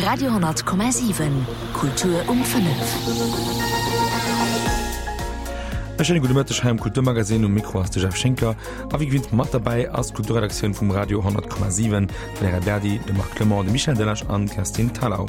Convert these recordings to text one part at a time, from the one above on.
Radio,7 Kultur um 5. E schéine gudde Mëtteg hei am Kulturmagazin. Um Mikro ass de Jeff Schinker a wéi gewinnt mat derbäi ass d'Kulturredaktioun vum Radio 10,7, d'Valerija Berdi, de Marc Clement, de Michel Delage an d'Kerstin Thalau.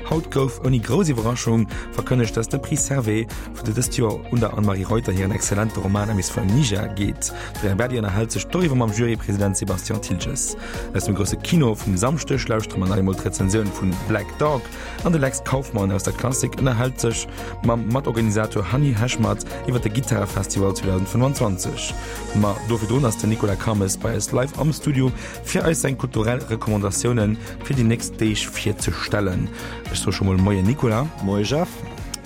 Haut gouf ouni grouss Iwwerraschung verkënnegt, dass de Prix Servais vun dëst Joer un der Anne-Marie Reuter hiren exzellente Roman Amis from Niger geet. D'Valerija Berdi ënnerhält sech doriwwer mam Jurypresident Sébastien Thiltges. Aus dem grousse Kino vum Samschdeg lauschtere mer nach eemol d'Rezensioun vun Black Dog an de Lex Kauffmann aus der Klassik ënnerhält sech mam Matorganisator Hanni Heshmat iwwer de Gittarefestival 2025. Ma do virdrun ass den Nicolas Kames bei eis live am Studio fir eis seng kulturell Recommandatiounen fir déi nächst Deeg virzestellen. Ech soe scho mol Moien Nicolas. Moie Jeff.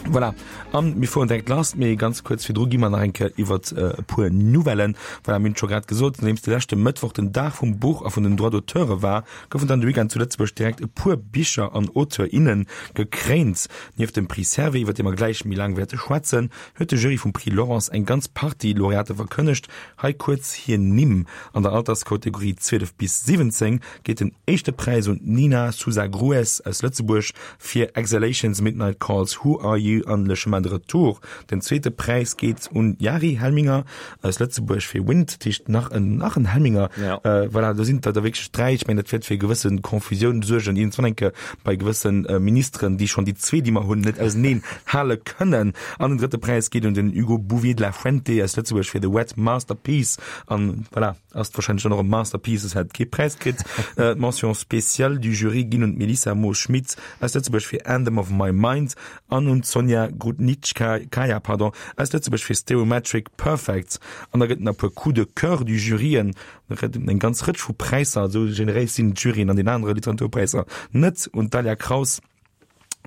Voilà, an mir fueren direkt lass, mee ganz kuerz virdru gi mer nach eng Kéier iwwert e puer Nouvellen. Voilà, mir hunn et scho grad gesot, nodeems de leschte Mëttwoch den Dag vum Buch a vun den Droits d'auteure war, goufen dann de Weekend zu Lëtzebuerg direkt e puer Bicher an Auteur, innen gekréint. Nieft dem Prix Servais, iwwer dee mer gläich méi laang wäerte schwätzen, huet de Jury vum Prix Laurence eng ganz Partie Laureate verkënnegt. Hei kuerz hir Nimm, An der Alterskategorie 12 bis 17 geet den éischte Präis un d'Nina Sousa Grues aus Lëtzebuerg fir Exhalations, Midnight Calls, Who Are You an Le Chemin de Retour. Den zweete Präis geet un Jari Helminger aus Lëtzebuerg fir Wind, dat heescht nach en nach en Helminger. Ja. Voilà, do sinn der der wierklech 3. Ech mengen, dat wäert fir gewësse Confusioun suergen, iergendwann eng Kéier bei gewësse Ministeren, déi schonn déi zwee, déi mer hunn, net auseneen hale kënnen. An den drëtte Präis geet un den Hugo Bouvier de la Fuente aus Lëtzebuerg fir The Wet Masterpiece. An voilà, ass wahrscheinlech dann och e Masterpiece, soss hätt et kee Präis kritt. D'Mention spéciale du Jury ginn un d'Melissa Moos-Schmit aus Lëtzebuerg fir Anthem of My Mind an un d'Sonja Grudnitskaya, pardon, aus Lëtzebuerg fir Stereometric Perfect. An da gëtt et nach e puer Coups de cœur du Juryen, eng ganz Rëtsch vu Präisser, esou generéis sinn d'Juryen an den anere Literaturpräisser net, un d'Dalia Kraus,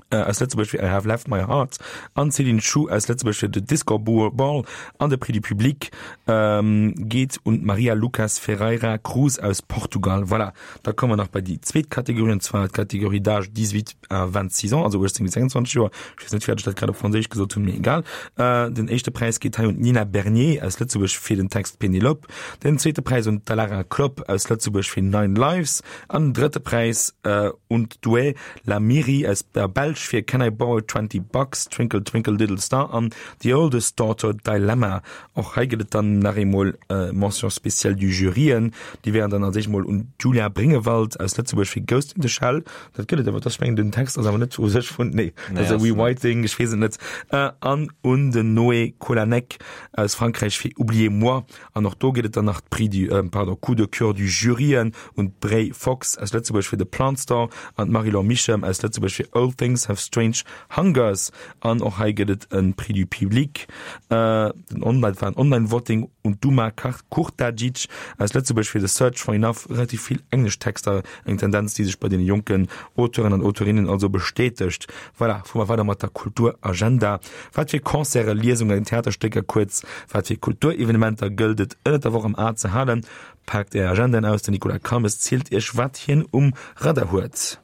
aus Lëtzebuerg fir I Have Left My Heart an d'Céline Schuh aus Lëtzebuerg fir The Disco Ball an de Prix du Public geet un d'Maria Lucas Ferreira Cruz aus Portugal. Voilà, da komme mer nach bei déi zweet Kategorie, an zwar d'Kategorie d'âge 18 à 26 ans, also 18 bis 26 Joer. Ech weess net, firwat ech dat grad op Franséisch gesot hunn, mee egal. Den éischte Präis geet hei un d'Nina Bernier aus Lëtzebuerg fir den Text Pénélope, den zweete Präis un d'Alara Klopp aus Lëtzebuerg fir Nine Lives an den drëtte Präis un d'Doué La Miri aus der Belsch fir Can I Borrow 20 Bucks, Twinkle Twinkle Little Star an The Oldest Daughter Dilemma. Och hei gëtt et dann nach eemol Mention spéciale du Juryen. Déi wären dann als éischt mol un d'Julia Bringewald aus Lëtzebuerg fir Ghost in the Shell. Dat gëtt et awer, dat ech mengen den Text ass awer net u sech vun, nee, dat ass e Rewriting, ech weess et net. An un den Noé Kolanec aus Frankräich fir Oubliez-moi. An och do gëtt et dann nach d'Prix du, pardon, Coup de cœur du Juryen un d'Bray Fox aus Lëtzebuerg fir The Plant Store an d'Marie-Laure Michem aus Lëtzebuerg fir Old Things Have Strange Hungers. An och hei gëtt et e Prix du Public, den Online, dat war en Online-Voting, un d'Uma Kurtagic aus Lëtzebuerg fir The Search for Enough. Relativ vill englesch Texter, eng Tendenz, déi sech bei deene jonken Auteuren an Auteurinnen also bestätegt. Voilà, fuere mer weider mat der Kulturagenda. Wat fir Concerten, Liesungen, Theaterstécker, kuerz wat fir Kulturevenementer gëllt et ënnert der Woch am A ze halen? Paakt Är Agendaen aus, den Nicolas Calmes zielt Iech wat hien um Radar huet.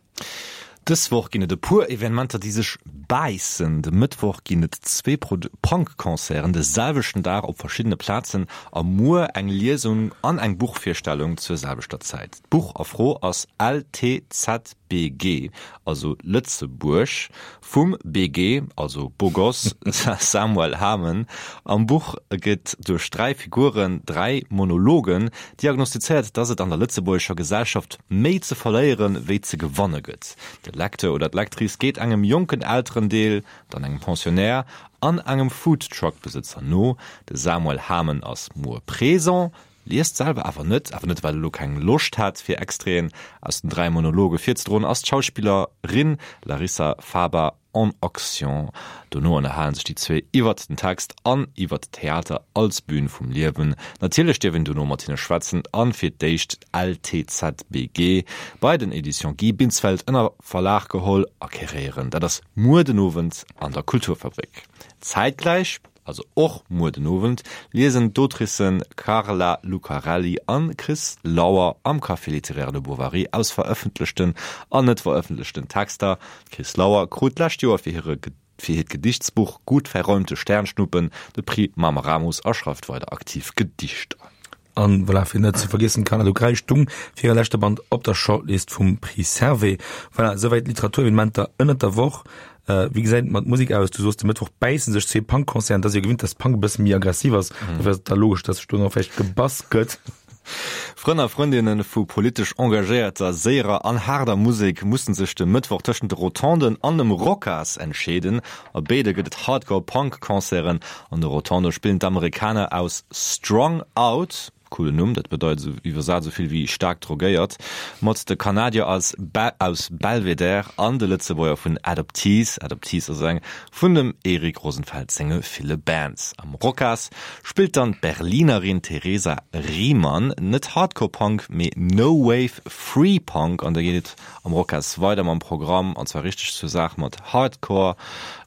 Dës Woch ginn et e puer Evenementer, déi sech bäissen. De Mëttwoch ginn et zwee Punk-Concerten de selwechten Dag op verschiddene Plazen a muer eng Liesung an eng Buchvirstellung zur selwechter Zäit. D'Buch a Fro ass LTZ. BG, also Lëtzebuerg, vum BG, also Bogoss, Samuel Hamen. Am Buch gëtt duerch 3 Figuren, 3 Monologen, diagnostizéiert, dass et an der lëtzebuergescher Gesellschaft méi ze verléiere wéi ze gewanne gëtt. De Lecteur oder d'Lectrice geet engem jonken Elterendeel, dann engem Pensionnaire an engem Foodtruck-Besëtzer no. De Samuel Hamen ass muer présent, Liest selwer awer net, awer net well e lo keng Loscht hat fir Extraiten aus den 3 Monologe virzedroen, ass d'Schauspillerin Larissa Faber en action. Dono ënnerhalen sech déi zwee iwwert den Text an iwwert Theater als Bühn vum Liewen. Natierlech dierf een dono mat hinne schwätzen an fir d'éischt d'LTZBG bei den Editions Guy Binsfeld ënner Verlag geholl acquéréieren. Dat ass muer den Owend an der Kulturfabrik. Zäitgläich Also och muer den Owend liesen d'Autricen Carla Lucarelli an Chris Lauer am Café littéraire Le Bovary aus verëffentlechten an net verëffentlechten Texter. D'Chris Lauer krut d'lescht Joer fir hire fir hiert Gedichtsbuch Gut verräumte Sternschnuppen de Prix Mameramus a schreift weider aktiv Gedichter. An voilà, fir net ze vergiessen, Kanner, du Gräisch Dung fir hire leschte Band op der Shortlist vum Prix Servais. Voilà, esouwäit d'Literaturevenementer ënnert der Woch. Wéi gesäit et mat Musek aus? Du soos, de Mëttwoch bäisse sech zwee Punk-Concerten. Et ass jo gewinnt, dass Punk e bësse méi aggressiv ass. Dofir ass et da logesch, dass sech do nach vläicht gebass gëtt. Frënn a Frëndinne vu politesch engagéierter, séierer an haarder Musek mussen sech de Mëttwoch tëschent de Rotonden an dem Rocas entscheeden. A béide gëtt et Hardcore-Punk-Concerten. An de Rotondë spillen d'Amerikaner aus Strung Out, coolen Numm, dat bedeit esou iwwersat esou vill wéi staark drogéiert, mat de Kanadier aus aus Belvedere an de Lëtzebuerger vun Adoptees. Adoptees ass eng vun dem Erik Rosenfeld senge ville Bands. Am Rocas spillt dann d'Berlinerin Theresa Riemann net Hardcore-Punk, mee No-Wave Free Punk an da geet et am Rocas weider mam Programm an zwar richteg zur Saach mat Hardcore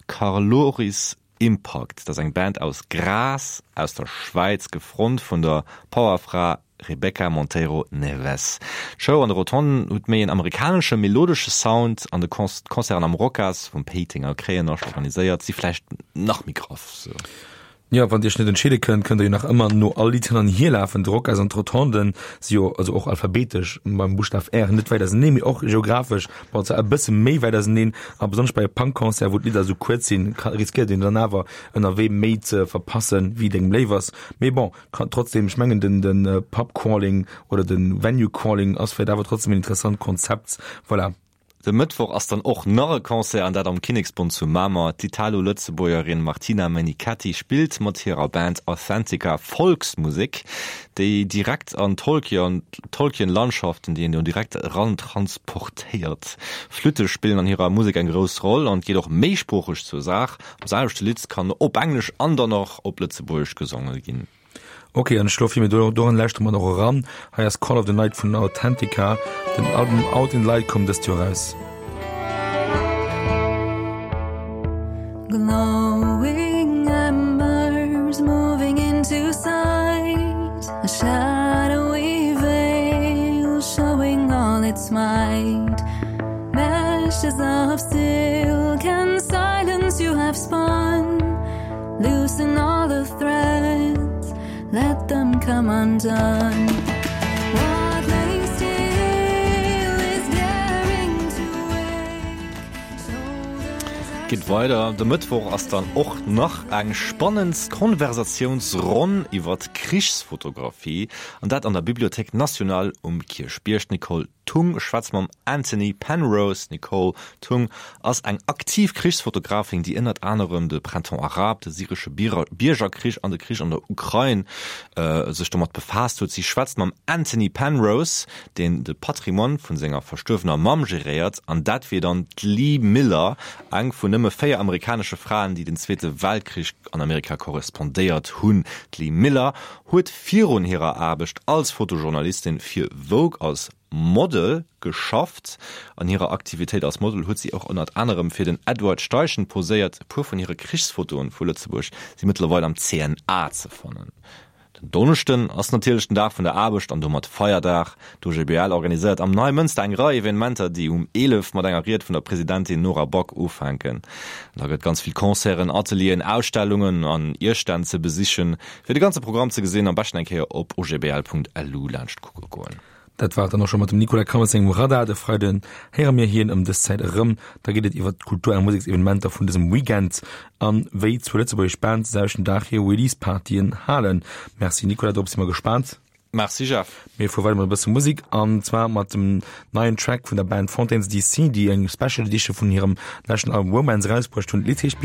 Carloris Impact. Dat ass eng Band aus Graz aus der Schwäiz, gefront vun der Powerfra Rebecca Monteiro Neves. D'Show an de Rotonden huet méi en amerikanesche melodesche Sound an de d'Concerten am Rocas vum Péitenger Kréienascht organiséiert si vläicht nach méi graff. Sou. Jo, wann dir iech net entscheede kënnt, kënnt der jo nach ëmmer no all Lidd hin an hier lafen. De Rocas an d'Rotonden si jo also och alphabetesch beim Buschtaf R net wäit auseneen, mee och geographesch, bon zwar e bësse méi wäit auseneen. A besonnesch bei e Punk-Concert, wou d'Lidder esou kuerz sinn, ka riskéiert een dann awer ënnerwee méi ze verpassen, wéi et engem léif ass. Mee bon, kann trotzdem, ech mengen den den Pub Crawling oder den Venue Crawling ass vläit awer trotzdem en interessant Konzept. Voilà. De Mëttwoch ass dann och nach e Concert, an dat am Kinneksbond zu Mamer. D'Italo-Lëtzebuergerin Martina Menichetti spillt mat hirer Band Authentica Volksmusek, déi direkt an Tolkien-Landschaften, déi een do direkt eran transportéiert. Flütte spillen an hirer Musek eng grouss Roll an et geet och méisproocheg zur Saach. Am selwechte Lidd kann op Englesch an dann och op Lëtzebuergesch gesonge ginn. Ok, an ech schloe vir, mir doran lauschtere mer och eran. Hei ass Call of the Night vun Authentica. Den Album Out in the Light koum dëst Joer eraus. Glowing embers moving into sight A shadowy veil showing all its might Meshes of silk and silence you have spun Loosen all the threads, let them come undone What lay still is daring to wake Geet weider, De Mëttwoch ass dann och nach eng spannend Konversatiounsronn iwwert Krichsfotografie, an dat an der Bibliothèque nationale um Kierchbierg. D'Nicole Tung schwätzt mam Anthony Penrose. D'Nicole Tung ass eng aktiv Krichsfotografin, déi ënnert anerem de Printemps arabe, de syresche Biergerkrich an de Krich an der Ukrain sech domat befaasst huet. Si schwätzt mam Anthony Penrose, deen de Patrimoine vu senger verstuerwener Mamm geréiert, an dat wier dann d'Lee Miller, eng vun nëmme 4 amerikanesche Fraen, déi den Zweete Weltkrich an Amerika korrespondéiert hunn. D'Lee Miller huet virun hirer Aarbecht als Fotojournalistin fir Vogue als Model geschafft. An hirer Aktivitéit als Model huet si och ënnert anerem fir den Edward Steichen poséiert. E puer vun hire Krichsfotoen vu Lëtzebuerg si mëttlerweil am CNA ze fannen. Den Donneschden ass natierlech den Dag vun der Aarbecht an domat Feierdag. D'OGBL organiséiert am Neimënster eng Rei Evenementer, déi um 11 mat enger Ried vun der Presidentin Nora Back ufänken. Da gëtt ganz vill Concerten, Atelieren, Ausstellungen an Iesstänn ze besichen. Fir de ganze Programm ze gesinn, am beschten eng Kéier op ogbl.lu laanscht kucke goen. Dat war et dann och scho mat dem Nicolas Krames sengem Radar. De Freiden héiere mir hien ëm dës Zäit erëm. Da geet et iwwer d'Kultur a Museksevenementer vun dësem Weekend an wéi zwou lëtzebuergesch Bands de selwechten Dag hir Release-Partyen halen. Merci Nicolas, dorop si mer gespaant. Merci Jeff. Mir fuere weider mat e bësse Musek an zwar mat dem neien Track vun der Band Fontaines DC, déi eng Special Edition vun hirem leschten Album Romance erausbruecht hunn. D'Lidd heescht.